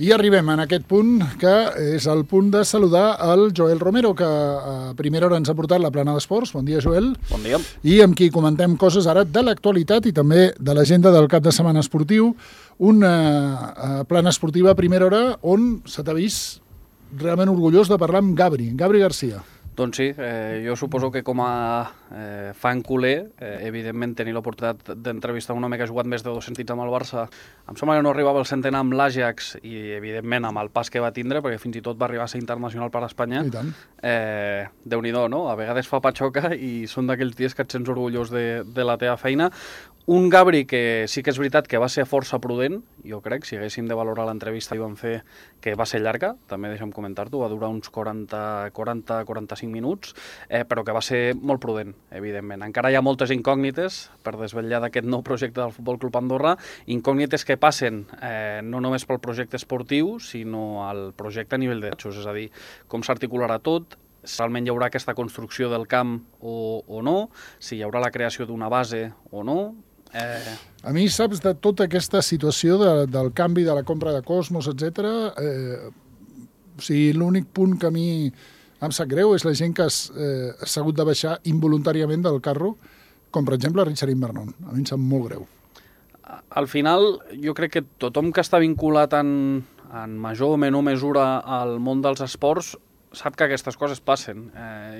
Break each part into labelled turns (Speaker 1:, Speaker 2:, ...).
Speaker 1: I arribem en aquest punt, que és el punt de saludar el Joel Romero, que a primera hora ens ha portat la plana d'esports. Bon dia, Joel.
Speaker 2: Bon dia.
Speaker 1: I amb qui comentem coses ara de l'actualitat i també de l'agenda del cap de setmana esportiu. Una plana esportiva a primera hora on se t'ha vist realment orgullós de parlar amb Gabri Garcia.
Speaker 2: Doncs sí, jo suposo que com a fan culer, evidentment tenir l'oportunitat d'entrevistar un home que ha jugat més de 200 partits amb el Barça, em sembla que no arribava al centenar amb l'Ajax i evidentment amb el pas que va tindre, perquè fins i tot va arribar a ser internacional per a Espanya.
Speaker 1: I tant.
Speaker 2: Déu-n'hi-do, no? A vegades fa patxoca i són d'aquells dies que et sents orgullós de la teva feina. Un Gabri que sí que és veritat que va ser força prudent, jo crec, si haguéssim de valorar l'entrevista i vam fer, que va ser llarga, també deixa'm comentar-t'ho, va durar uns 40-45 minuts, però que va ser molt prudent, evidentment. Encara hi ha moltes incògnites per desvetllar d'aquest nou projecte del Futbol Club Andorra, incògnites que passen no només pel projecte esportiu, sinó al projecte a nivell de drets, és a dir, com s'articularà tot, si realment hi haurà aquesta construcció del camp o no, si hi haurà la creació d'una base o no.
Speaker 1: A mi, saps, de tota aquesta situació del canvi de la compra de Cosmos, etc. O sigui, l'únic punt que a mi em sap greu és la gent que s'ha hagut de baixar involuntàriament del carro, com per exemple Richard Invernon. A mi em sap molt greu.
Speaker 2: Al final, jo crec que tothom que està vinculat en major o menor mesura al món dels esports sap que aquestes coses passen.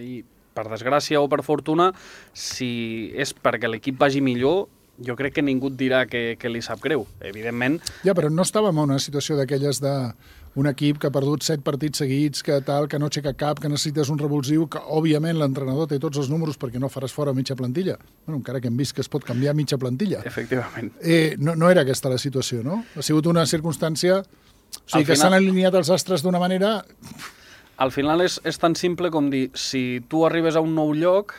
Speaker 2: I per desgràcia o per fortuna, si és perquè l'equip vagi millor, jo crec que ningú et dirà que li sap greu, evidentment.
Speaker 1: Ja, però no estàvem en una situació d'aquelles d'un equip que ha perdut 7 partits seguits, que tal, que no aixeca cap, que necessites un revulsiu, que òbviament l'entrenador té tots els números perquè no faràs fora mitja plantilla. Bueno, encara que hem vist que es pot canviar mitja plantilla.
Speaker 2: Efectivament.
Speaker 1: No era aquesta la situació, no? Ha sigut una circumstància... O sigui, que s'han alineat els astres d'una manera...
Speaker 2: Al final és tan simple com dir, si tu arribes a un nou lloc,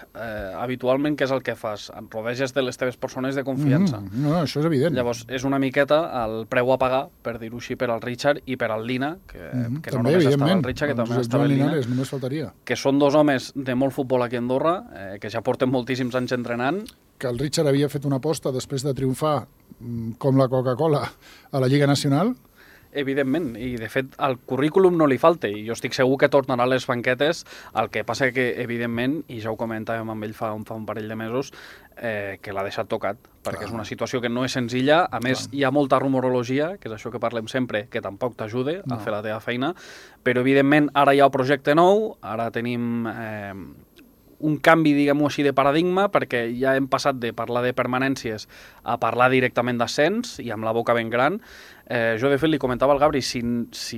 Speaker 2: habitualment què és el que fas? Et rodeges de les teves persones de confiança.
Speaker 1: No, això és evident.
Speaker 2: Llavors, és una miqueta el preu a pagar, per dir-ho així, per al Richard i per al Lina, que no només estava el Richard, que també estava el Lina,
Speaker 1: només faltaria.
Speaker 2: Que són dos homes de molt futbol aquí a Andorra, que ja porten moltíssims anys entrenant.
Speaker 1: Que el Richard havia fet una aposta després de triomfar com la Coca-Cola a la Lliga Nacional.
Speaker 2: Evidentment, i de fet el currículum no li falta, i jo estic segur que tornarà a les banquetes, el que passa que, evidentment, i ja ho comentàvem amb ell fa un parell de mesos, que l'ha deixat tocat, perquè és una situació que no és senzilla, a més hi ha molta rumorologia, que és això que parlem sempre, que tampoc t'ajuda a fer la teva feina, però evidentment ara hi ha un projecte nou, ara tenim... un canvi, diguem-ho així, de paradigma, perquè ja hem passat de parlar de permanències a parlar directament d'ascens, i amb la boca ben gran. Jo, de fet, li comentava al Gabri, si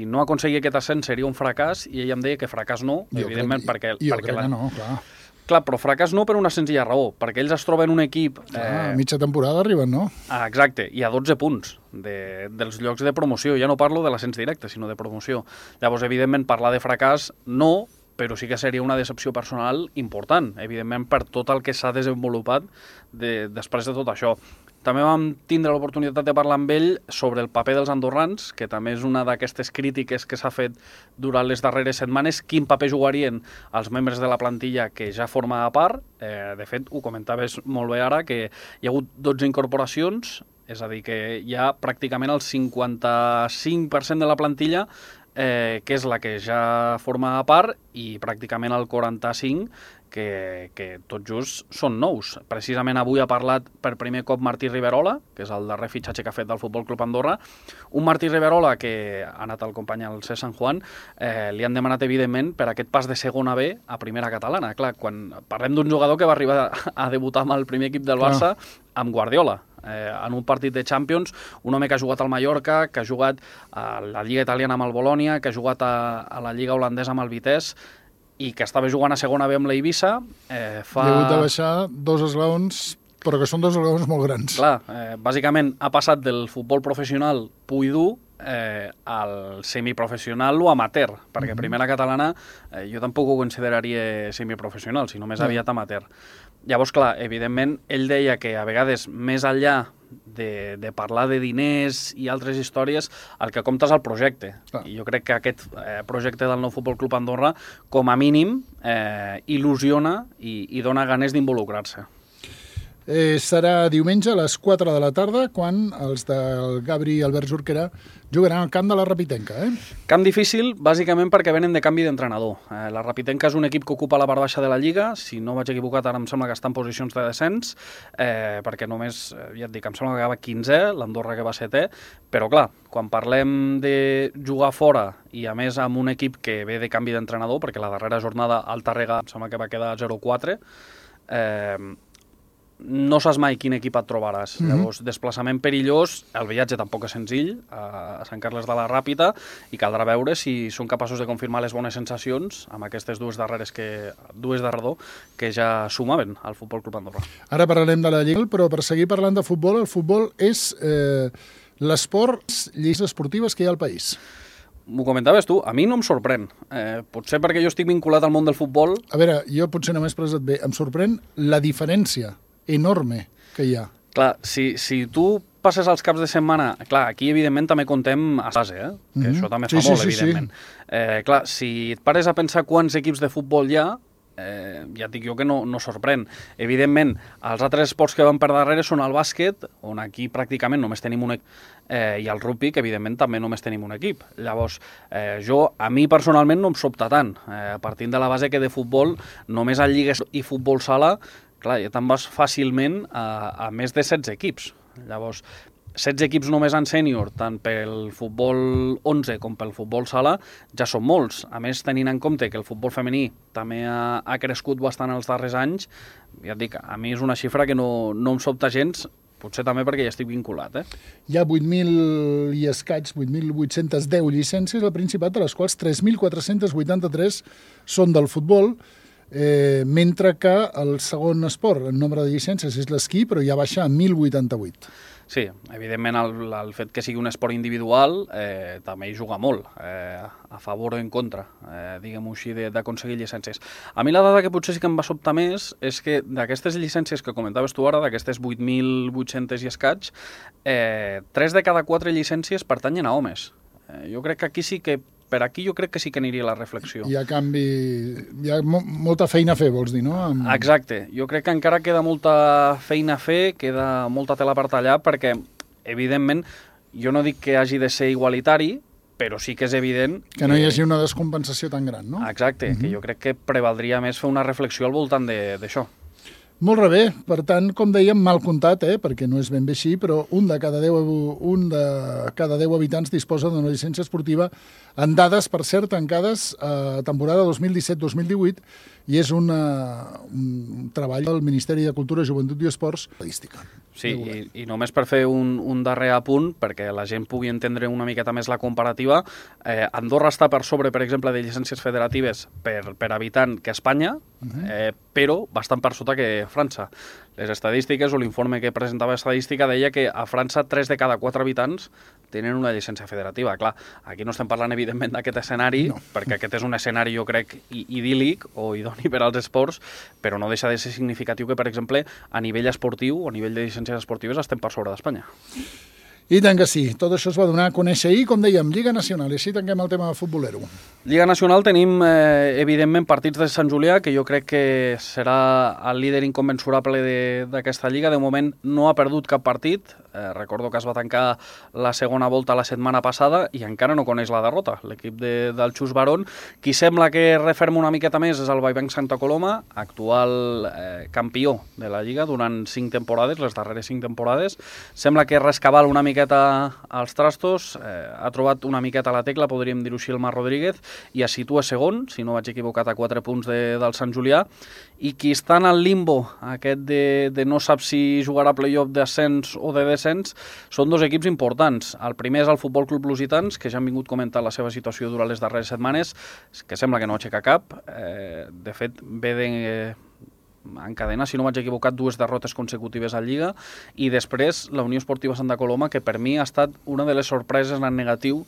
Speaker 2: no aconseguia aquest ascens seria un fracàs, i ell em deia que fracàs no, evidentment, perquè...
Speaker 1: Jo crec que no, clar.
Speaker 2: Clar, però fracàs no per una senzilla raó, perquè ells es troben un equip...
Speaker 1: mitja temporada arriben, no?
Speaker 2: Exacte, i a 12 punts dels llocs de promoció. Ja no parlo de l'ascens directe, sinó de promoció. Llavors, evidentment, parlar de fracàs no, però sí que seria una decepció personal important, evidentment, per tot el que s'ha desenvolupat després de tot això. També vam tindre l'oportunitat de parlar amb ell sobre el paper dels andorrans, que també és una d'aquestes crítiques que s'ha fet durant les darreres setmanes, quin paper jugarien els membres de la plantilla que ja forma a part. De fet, ho comentaves molt bé ara, que hi ha hagut 12 incorporacions, és a dir, que hi ha pràcticament el 55% de la plantilla que és la que ja forma a part, i pràcticament el 45% que tot just són nous. Precisament avui ha parlat per primer cop Martí Riverola, que és el darrer fitxatge que ha fet del Futbol Club Andorra. Un Martí Riverola que ha anat al company al C. San Juan, li han demanat, evidentment, per aquest pas de segona B a primera catalana. Clar, quan parlem d'un jugador que va arribar a debutar amb el primer equip del Barça, amb Guardiola, en un partit de Champions, un home que ha jugat al Mallorca, que ha jugat a la Lliga Italiana amb el Bolònia, que ha jugat a la Lliga Holandesa amb el Vitesse, i que estava jugant a segona B amb la Eivissa.
Speaker 1: Li ha hagut de baixar 2 esglaons, però que són 2 esglaons molt grans.
Speaker 2: Clar, bàsicament ha passat del futbol professional pur i dur al semiprofessional o amateur, perquè primera catalana jo tampoc ho consideraria semiprofessional, sinó més aviat amateur. Llavors, clar, evidentment, ell deia que a vegades, més enllà de parlar de diners i altres històries, el que compta és el projecte. I jo crec que aquest projecte del nou Futbol Club Andorra, com a mínim, il·lusiona i dona ganes d'involucrar-se.
Speaker 1: serà diumenge a les 4 de la tarda, quan els del Gabri i Albert Jorquera jugaran al camp de la Rapitenca.
Speaker 2: Camp difícil, bàsicament perquè venen de canvi d'entrenador. La Rapitenca és un equip que ocupa la part baixa de la Lliga, si no vaig equivocat ara em sembla que està en posicions de descens, perquè només, ja et dic, em sembla que acaba 15è, l'Andorra que va 7è, però clar, quan parlem de jugar fora i a més amb un equip que ve de canvi d'entrenador, perquè la darrera jornada al Tàrrega em sembla que va quedar 0-4, no saps mai quin equip et trobaràs. Llavors, desplaçament perillós, el viatge tampoc és senzill, a Sant Carles de la Ràpita, i caldrà veure si són capaços de confirmar les bones sensacions amb aquestes dues darreres que ja sumaven al Futbol Club Andorra.
Speaker 1: Ara parlarem de la Lliga, però per seguir parlant de futbol, el futbol és l'esport, lleis esportives que hi ha al país.
Speaker 2: M'ho comentaves tu, a mi no em sorprèn. Potser perquè jo estic vinculat al món del futbol.
Speaker 1: A veure, jo potser no m'he expressat bé. Em sorprèn la diferència enorme que hi ha.
Speaker 2: Clar, si tu passes els caps de setmana... Clar, aquí evidentment també contem a base, que això també fa molt, evidentment. Clar, si et pares a pensar quants equips de futbol hi ha, ja et dic jo que no sorprèn. Evidentment, els altres esports que van per darrere són el bàsquet, on aquí pràcticament només tenim un equip, i el rugby, que evidentment també només tenim un equip. Llavors, a mi personalment no em sobta tant. Partint de la base que de futbol, només a lligues i futbol sala, clar, ja te'n vas fàcilment a més de 16 equips. Llavors, 16 equips només en sènior, tant pel futbol 11 com pel futbol sala, ja són molts. A més, tenint en compte que el futbol femení també ha crescut bastant els darrers anys, ja et dic, a mi és una xifra que no em sobta gens, potser també perquè ja estic vinculat.
Speaker 1: Hi ha 8.000 i escaig, 8.810 llicències al Principat, de les quals 3.483 són del futbol, mentre que el segon esport, el nombre de llicències, és l'esquí, però ja baixa a 1.088.
Speaker 2: Sí, evidentment el fet que sigui un esport individual també hi juga molt, a favor o en contra, diguem-ho així, d'aconseguir llicències. A mi la dada que potser sí que em va sobtar més és que d'aquestes llicències que comentaves tu ara, d'aquestes 8.800 i escaig, 3 de cada 4 llicències pertanyen a homes. Jo crec que aquí sí que per aquí jo crec que sí que aniria la reflexió.
Speaker 1: Hi ha molta feina a fer, vols dir, no?
Speaker 2: Exacte. Jo crec que encara queda molta feina a fer, queda molta tela per tallar, perquè, evidentment, jo no dic que hagi de ser igualitari, però sí que és evident...
Speaker 1: Que no hi hagi una descompensació tan gran, no?
Speaker 2: Exacte, que jo crec que prevaldria més fer una reflexió al voltant d'això.
Speaker 1: Molt bé, per tant, com dèiem, mal comptat, perquè no és ben bé així, però un de cada 10 habitants disposa d'una llicència esportiva, en dades, per cert, tancades a temporada 2017-2018, i és un treball del Ministeri de Cultura, Joventut i Esports estadística.
Speaker 2: Sí, i només per fer un darrer apunt, perquè la gent pugui entendre una miqueta més la comparativa, Andorra està per sobre, per exemple, de llicències federatives per habitant que Espanya, però bastant per sota que França. Les estadístiques o l'informe que presentava estadística deia que a França 3 de cada 4 habitants tenen una llicència federativa. Clar, aquí no estem parlant evidentment d'aquest escenari, perquè aquest és un escenari jo crec idíl·lic o idoni per als esports, però no deixa de ser significatiu que, per exemple, a nivell esportiu o a nivell de llicències esportives estem per sobre d'Espanya.
Speaker 1: I tant que sí, tot això es va donar a conèixer ahir, com dèiem, Lliga Nacional, i així tanquem el tema futbolero.
Speaker 2: Lliga Nacional tenim, evidentment, partits de Sant Julià, que jo crec que serà el líder inconmensurable d'aquesta Lliga. De moment no ha perdut cap partit, recordo que es va tancar la segona volta la setmana passada i encara no coneix la derrota, l'equip del Xus Barón. Qui sembla que referma una miqueta més és el Vallvenc Santa Coloma, actual campió de la Lliga durant 5 temporades, les darreres 5 temporades. Sembla que rescabala una miqueta als trastos, ha trobat una miqueta la tecla, podríem dir-ho així, el Mar Rodríguez, i es situa segon, si no vaig equivocat, a 4 punts del Sant Julià, i qui està en el limbo, aquest de no sap si jugarà playoff d'ascens o de descens, són dos equips importants. El primer és el Futbol Club Lusitans, que ja han vingut comentant la seva situació durant les darreres setmanes, que sembla que no aixeca cap. De fet, ve encadena, si no m'haig equivocat, 2 derrotes consecutives a Lliga, i després la Unió Esportiva Santa Coloma, que per mi ha estat una de les sorpreses en negatiu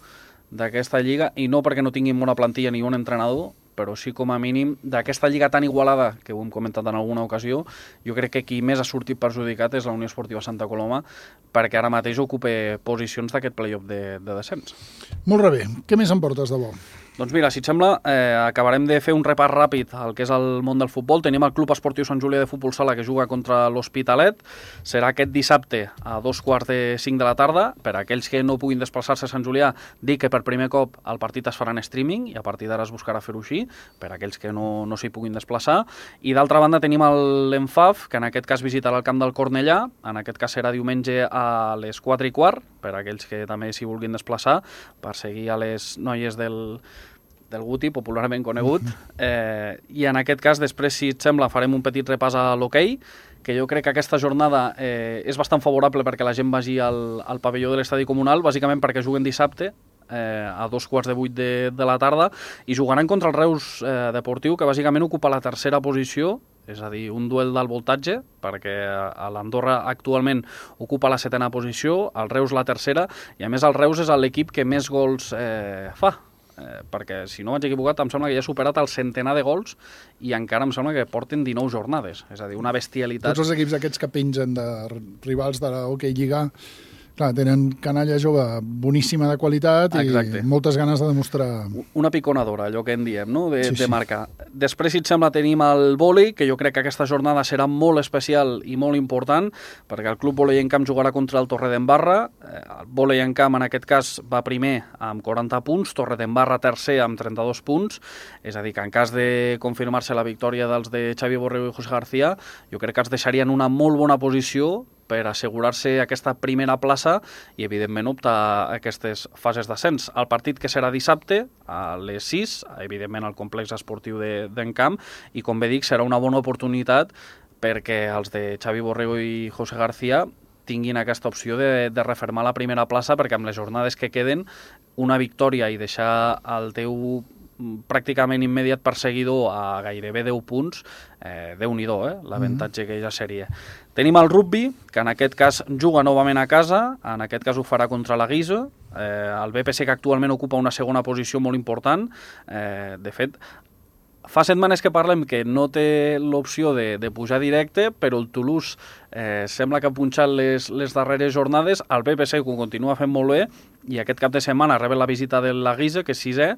Speaker 2: d'aquesta Lliga, i no perquè no tinguin bona plantilla ni bon entrenador, però sí com a mínim d'aquesta Lliga tan igualada, que ho hem comentat en alguna ocasió, jo crec que qui més ha sortit perjudicat és la Unió Esportiva Santa Coloma, perquè ara mateix ocupa posicions d'aquest playoff de descens.
Speaker 1: Molt bé, què més em portes de bo?
Speaker 2: Doncs mira, si et sembla, acabarem de fer un repàs ràpid al que és el món del futbol. Tenim el Club Esportiu Sant Julià de Futbol Sala que juga contra l'Hospitalet. Serà aquest dissabte a 2:45 de la tarda. Per a aquells que no puguin desplaçar-se a Sant Julià, dic que per primer cop el partit es farà en streaming i a partir d'ara es buscarà fer-ho així, per a aquells que no s'hi puguin desplaçar. I d'altra banda tenim l'ENFAF, que en aquest cas visitarà el camp del Cornellà. En aquest cas serà diumenge a les 4:15, per a aquells que també s'hi vulguin desplaçar, per seguir a les noies del Guti, popularment conegut, i en aquest cas, després, si et sembla, farem un petit repàs a l'hoquei, que jo crec que aquesta jornada és bastant favorable perquè la gent vagi al pavelló de l'estadi comunal, bàsicament perquè juguen dissabte, a 7:15 de la tarda, i jugaran contra el Reus Deportiu, que bàsicament ocupa la tercera posició, és a dir, un duel d'alt voltatge, perquè l'Andorra actualment ocupa la 7ª posició, el Reus la tercera, i a més el Reus és l'equip que més gols fa, perquè si no vaig equivocat em sembla que ja ha superat el centenar de gols i encara em sembla que porten 19 jornades, és a dir, una bestialitat.
Speaker 1: Tots els equips aquests que pengen de rivals de l'Hockey Lliga, clar, tenen canalla jove boníssima de qualitat. Exacte. I moltes ganes de demostrar...
Speaker 2: Una piconadora, allò que en diem, no? de marcar. Després, si et sembla, tenim el vòlei, que jo crec que aquesta jornada serà molt especial i molt important, perquè el Club Vòlei en Camp jugarà contra el Torredembarra. El Vòlei en Camp, en aquest cas, va primer amb 40 punts, Torredembarra tercer amb 32 punts, és a dir, que en cas de confirmar-se la victòria dels de Xavi Borrego i José García, jo crec que els deixarien una molt bona posició per assegurar-se aquesta primera plaça i, evidentment, optar a aquestes fases d'ascens. El partit que serà dissabte, a les 6, evidentment, al complex esportiu d'Encamp, i, com bé dic, serà una bona oportunitat perquè els de Xavi Borrego i José García tinguin aquesta opció de refermar la primera plaça, perquè amb les jornades que queden, una victòria i deixar el teu pràcticament immediat perseguidor a gairebé 10 punts, Déu-n'hi-do, l'avantatge que ja seria. Tenim el rugby, que en aquest cas juga novament a casa, en aquest cas ho farà contra la Guisa, el BPC, que actualment ocupa una segona posició molt important. De fet, fa setmanes que parlem que no té l'opció de pujar directe, però el Toulouse sembla que ha punxat les darreres jornades, el BPC ho continua fent molt bé, i aquest cap de setmana reben la visita de la Guisa, que és 6è,